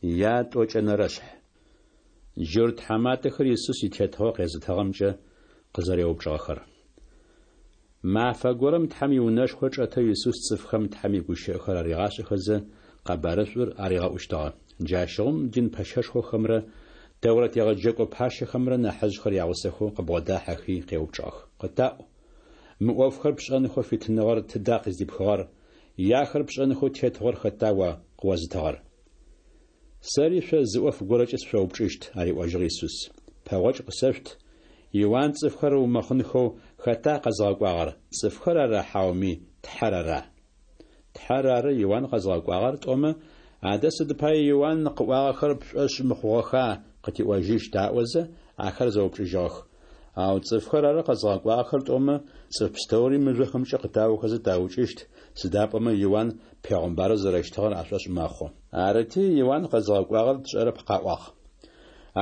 Ятӏокӏэнэрэшъхь. Джурт тхьаматэхэр Исус итетыгъо къезытыгъэмкӏэ къызэреупчӏыгъэхэр. Мафэ горэм Тхьэм иунэшхо чӏэтэу Исус цӏыфхэм Тхьэм игущыӏэхэр аригъашӏэхэзэ, къэбарышӏур аригъэӏущтыгъэ. Джащыгъум дин пэщэшхохэмрэ Тэурэт егъэджэкӏо пащэхэмрэ нахьыжъхэр ягъусэхэу къыбгъодахьэхи къеупчӏыгъэх: Къытаӏу, мы ӏофхэр пшӏэнхэу фитыныгъэр тыда къыздипхыгъэр, е ахэр пшӏэнхэу тетыгъор хэта о къыозытыгъэр? Сэри шъо зы ӏоф горэкӏэ сышъоупчӏыщт, ариӏожьыгъ Исус. Пэгъокӏ къысэшъут: Иуан цӏыфхэр ыумэхъынхэу хэта къэзыгъэкӏуагъэр, цӏыфхэр ара хьауми Тхьэр ара? Тхьэр ары Иуан къэзыгъэкӏуагъэр тӏомэ, Адэ сыд пае Иуан къыӏуагъэхэр пшӏошъ мыхъугъэха къытиӏожьыщт аӏозэ, ахэр зэупчӏыжьыгъэх. Ау цӏыфхэр ары къэзыгъэкӏуагъэхэр тӏомэ, цӏыф пстэури мыжъохэмкӏэ къытаохэзэ таукӏыщт, сыда пӏомэ Иуан пегъымбарэу зэрэщытыгъэр ашӏошъ мэхъу. Арыти, Иуан къэзыгъэкӏуагъэр тшӏэрэп къаӏуагъ.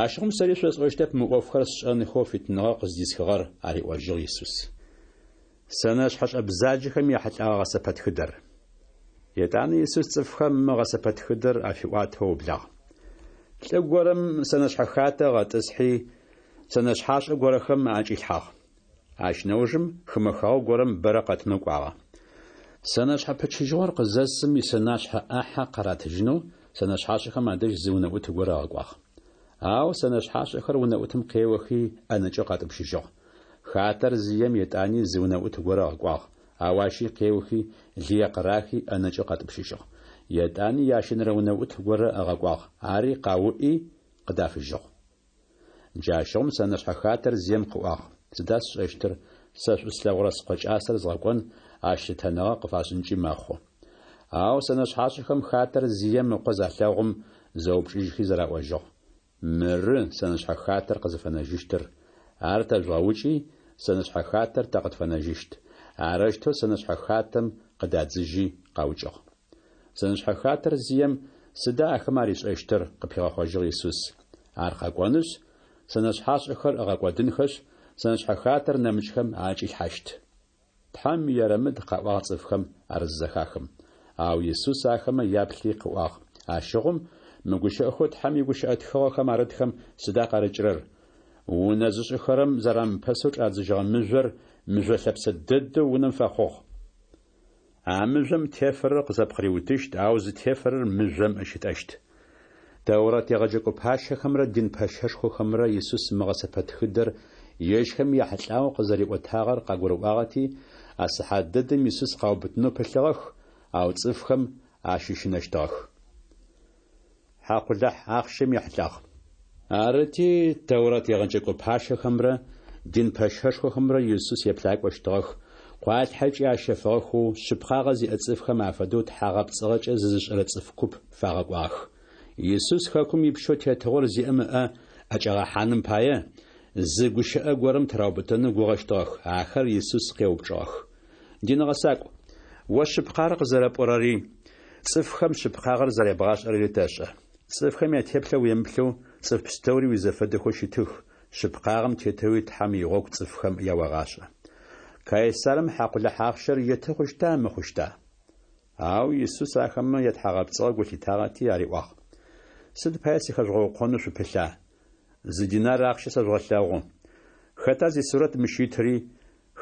Ащыгъум сэри шъосӏощтэп мы ӏофхэр сшӏэнхэу фитыныгъэ къыздисхыгъэр, ариӏожьыгъ Исус. Сэнэшъхьэшӏэ бзаджэхэм яхьылӏэгъэ гъэсэпэтхыдэр. Етӏанэ Исус цӏыфхэм мы гъэсэпэтхыдэр афиӏуатэу ыублагъ. Лӏы горэм сэнэшъхьэ хатэ ыгъэтӏысхьи, сэнэшъхьашӏэ горэхэм аӏэкӏилъхьагъ. Ащ нэужым хымэ хэгъэгу горэм бэрэ къэтынэу кӏуагъэ. Сэнэшъхьэ пычыжьыгъор къызэсым исэнашъхьэ ӏахьэ къаратыжьынэу сэнэшъхьашӏэхэм адэжь зы унэӏут горэ ыгъэкӏуагъ. Ау сэнэшъхьашӏэхэр унэӏутым къеохи ӏэнэкӏэу къатӏупщыжьыгъ. Хатэр зием етӏани зы унэӏут горэ ыгъэкӏуагъ, ау ащи къеохи лые къырахи ӏэнэкӏэу къатӏупщыжьыгъ. Етӏани ящэнэрэ унэӏут горэ ыгъэкӏуагъ, ари къауӏи, къыдафыжьыгъ. Джащыгъум сэнэшъхьэ хатэр зием къыӏуагъ, Сыда сшӏэщтыр, сэ шӏу слъэгъурэ скъо кӏасэр згъэкӏон, ащ лъытэныгъэ къыфашӏынкӏи мэхъу. Ау сэнэшъхьашӏэхэм хатэр зием ыкъо залъэгъум, зэупчӏыжьхи зэраӏожьыгъ, Мыры сэнэшъхьэ хатэр къызыфэнэжьыщтыр, ар тэжъугъэукӏи, сэнэшъхьэ хатэр тэ къытфэнэжьыщт. Арэущтэу сэнэшъхьэ хатэм къыдадзыжьи къаукӏыгъ. Сэнэшъхьэ хатэр зием сыда ахэмэ аришӏэщтыр? къыпигъэхъожьыгъ Исус. Ар къэкӏонышъ, сэнэшъхьашӏэхэр ыгъэкӏодынхэшъ, сэнэшъхьэ хатэр нэмыкӏхэм аӏэкӏилъхьащт. Тхьэм ерэмыд къаӏуагъ цӏыфхэм ар зызэхахым. Ау Исус ахэмэ яплъи къыӏуагъ, Ащыгъум мы гущыӏэхэу Тхьэм игущыӏэ тхыгъэхэм арытхэм сыда къарыкӏырэр? Унэ зышӏыхэрэм зэрамыпэсэу чӏадзыжьыгъэ мыжъор мыжъо лъэпсэ дэдэу унэм фэхъугъ. А мыжъом тефэрэр къызэпкъыриутыщт, ау зытефэрэр мыжъом ыщытӏэщт. Тэурэт егъэджэкӏо пащэхэмрэ дин пэщэшхохэмрэ Исус мы гъэсэпэтхыдэр ежьхэм яхьылӏагъэу къызэриӏотагъэр къагурыӏуагъэти, а сыхьат дэдэм Исус къаубытынэу пылъыгъэх, ау цӏыфхэм ащыщынэщтыгъэх. Хьакъулахь ахъщэм ехьылӏагъ. Арыти, Тэурэт егъэджэкӏо пащэхэмрэ дин пэщэшхохэмрэ Исус еплъакӏощтыгъэх, къуалъхьэкӏи ащэфыгъэхэу, шъыпкъагъэ зиӏэ цӏыфхэм афэдэу тхьагъэпцӏыгъэкӏэ зызышӏэрэ цӏыф куп фагъэкӏуагъэх. Исус хэкум ипщэу тетыгъор зиӏэм ыӏэ ӏэкӏагъэхьаным пае, зы гущыӏэ горэм тыраубытэнэу гугъэщтыгъэх. Ахэр Исус къеупчӏыгъэх. Дин гъэсакӏу, о шъыпкъагъэр къызэрэпӏорэри, цӏыфхэм шъыпкъагъэр зэребгъашӏэрэри тэшӏэ. Цӏыфхэм ятеплъэ уемыплъэу, цӏыф пстэури уизэфэдэхэу щытых, шъыпкъагъэм тетэуи Тхьэм игъогу цӏыфхэм яогъашӏэ. Кайсарым хьакъулахь ахъщэр еты хъущта, мыхъущта? Ау Исус ахэмэ ятхьагъэпцӏыгъэ гу лъитагъэти ариӏуагъ, Сыд пае сыхэжъугъэукъонэу шъупылъа? Зы динар ахъщэ сэжъугъэлъэгъу. Хэта зисурэт мыщ итри,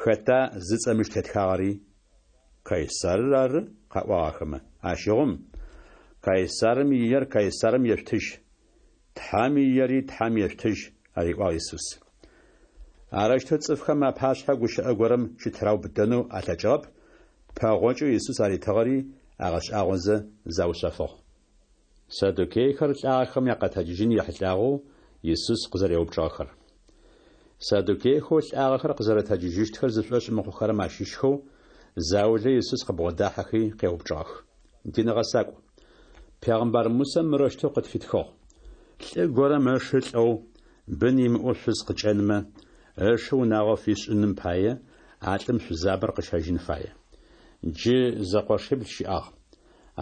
хэта зыцӏэ мыщ тетхагъэри? Кайсарыр ары, къаӏуагъ ахэмэ. Ащыгъум, Кайсарым иер Кайсарым ешъутыжь, Тхьэм иери Тхьэм ешъутыжь, ариӏуагъ Исус. Арэущтэу цӏыфхэм апашъхьэ гущыӏэ горэм щытыраубытэнэу алъэкӏыгъэп, пэгъокӏэу Исус аритыгъэри агъэшӏагъозэ заушъэфыгъ. Саддукейхэр лӏагъэхэм якъэтэджыжьын ехьылӏагъэу Исус къызэреупчӏыгъэхэр. Саддукейхэу лӏагъэхэр къызэрэтэджыжьыщтхэр зышӏошъ мыхъухэрэм ащыщхэу заулэ Исус къыбгъодахьэхи къеупчӏыгъэх. Дин гъэсакӏу, пегъымбар Мусэ мырэущтэу къытфитхыгъ, Лӏы горэм ышы лӏэу, бын имыӏэу шъуз къыкӏэнмэ, ышы унагъо фишӏыным пае, а лӏым шъузабэр къыщэжьын фае. Джы зэкъошибл щыӏагъ.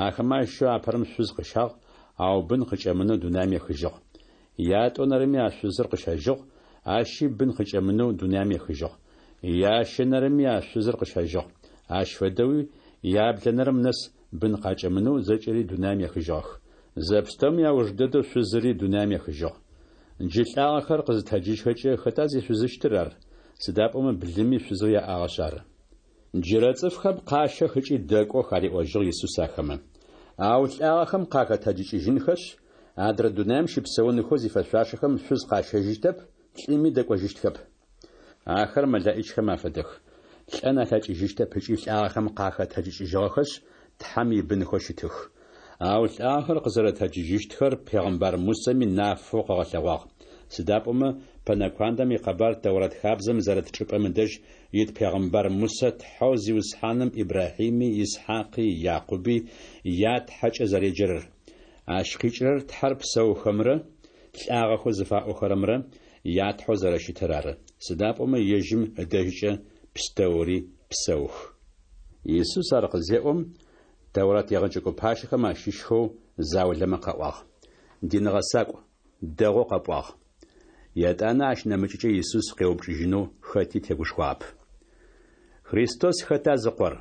Ахэмэ ащыщэу апэрэм шъуз къыщагъ, ау бын къыкӏэмынэу дунаим ехыжьыгъ. Ятӏонэрэми а шъузыр къыщэжьыгъ, ащи бын къыкӏэмынэу дунаим ехыжьыгъ. Ящэнэрэми а шъузыр къыщэжьыгъ. Ащ фэдэуи яблэнэрэм нэс бын къакӏэмынэу зэкӏэри дунаим ехыжьыгъэх. Зэпстэуми ауж дэдэу шъузыри дунаим ехыжьыгъ. Джы лӏагъэхэр къызытэджыжьхэкӏэ, хэта зишъузыщтыр ар? Сыда пӏомэ блыми шъузэу яӏагъэшъ ары. Джырэ цӏыфхэм къащэх ыкӏи дэкӏох, ариӏожьыгъ Исус ахэмэ. Ау лӏагъэхэм къахэтэджыкӏыжьынхэшъ, адрэ дунаим щыпсэунхэу зифэшъуашэхэм шъуз къащэжьыщтэп, лӏыми дэкӏожьыщтхэп. Ахэр мэлэӏичхэм афэдэх, лӏэн алъэкӏыжьыщтэп ыкӏи лӏагъэхэм къахэтэджыкӏыжьыгъэхэшъ, Тхьэм ибынхэу щытых. Ау лӏагъэхэр къызэрэтэджыжьыщтхэр пегъымбар Мусэми нафэу къыгъэлъэгъуагъ. Сыда пӏомэ пэнэкуандэм икъэбар Тэурат хабзэм зэрыт чӏыпӏэм ыдэжь ит пегъымбар Мусэ Тхьэу Зиусхьаным Ибрахьими, Исхьакъи, Якъуби я Тхьэкӏэ зэреджэрэр. Ащ къикӏырэр Тхьэр псэухэмрэ лӏагъэхэу зыфаӏохэрэмрэ я Тхьэу зэрэщытыр ары, сыда пӏомэ ежьым ыдэжькӏэ пстэури псэух. Исус ар къызеӏом, Тэурат егъэджэкӏо пащэхэм ащыщхэу заулэмэ къаӏуагъ, Дин гъэсакӏу, дэгъоу къэпӏуагъ. Етӏанэ ащ нэмыкӏыкӏэ Исус къеупчӏыжьынэу хэти тегушхуагъэп. Христос хэта зыкъор?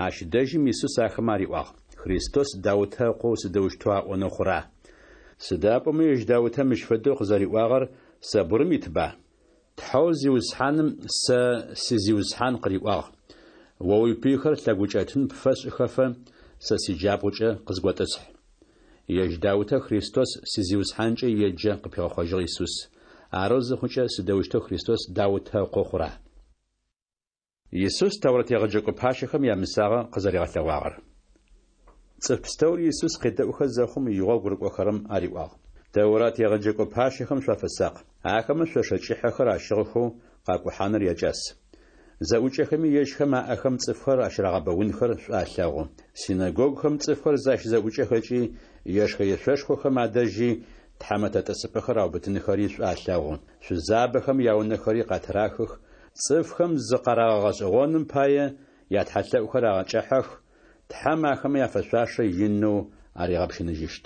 Ащ дэжьым Исус ахэмэ ариӏуагъ, Христос Даутэ ыкъоу сыдэущтэу аӏонэу хъура? Сыда пӏомэ ежь Даутэ мыщ фэдэу къызэриӏуагъэр Сэбурым итба? Тхьэу Зиусхьаным сэ си Зиусхьан къыриӏуагъ, О уипыйхэр лъэгукӏэтын пфэсшӏыхэфэ, сэ сиджабгъукӏэ къызготӏысхь. Ежь Даутэ Христос си Зиусхьанкӏэ еджэ, къыпигъэхъожьыгъ Исус. Арэу зыхъукӏэ, сыдэущтэу Христос Даутэ ыкъо хъура? Исус Тэурэт егъэджэкӏо пащэхэм ямысагъэ къызэригъэлъэгъуагъэр. Цӏыф пстэури Исус къедэӏухэ зэхъум, игъогу рыкӏохэрэм ариӏуагъ. Тэурат егъэджэкӏо пащэхэм шъуафэсакъ. Ахэмэ шъошэ кӏыхьэхэр ащыгъыхэу къакӏухьаныр якӏас. Зэӏукӏэхэми ежьхэм аӏэхэм цӏыфхэр ащырагъэбэунхэр шӏу алъэгъу. Синэгогухэм цӏыфхэр защызэӏукӏэхэкӏи, ешхэ-ешъошхохэм адэжьи тхьэмэтэ тӏысыпӏэхэр аубытынхэри шӏу алъэгъу, шъузабэхэм яунэхэри къатырахых, Цӏыфхэм зыкъарагъэгъэшӏэгъоным пае, ятхьэлъэӏухэр агъэкӏыхьэх, Тхьэм ахэмэ яфэшъуашэ инэу аригъэпщыныжьыщт.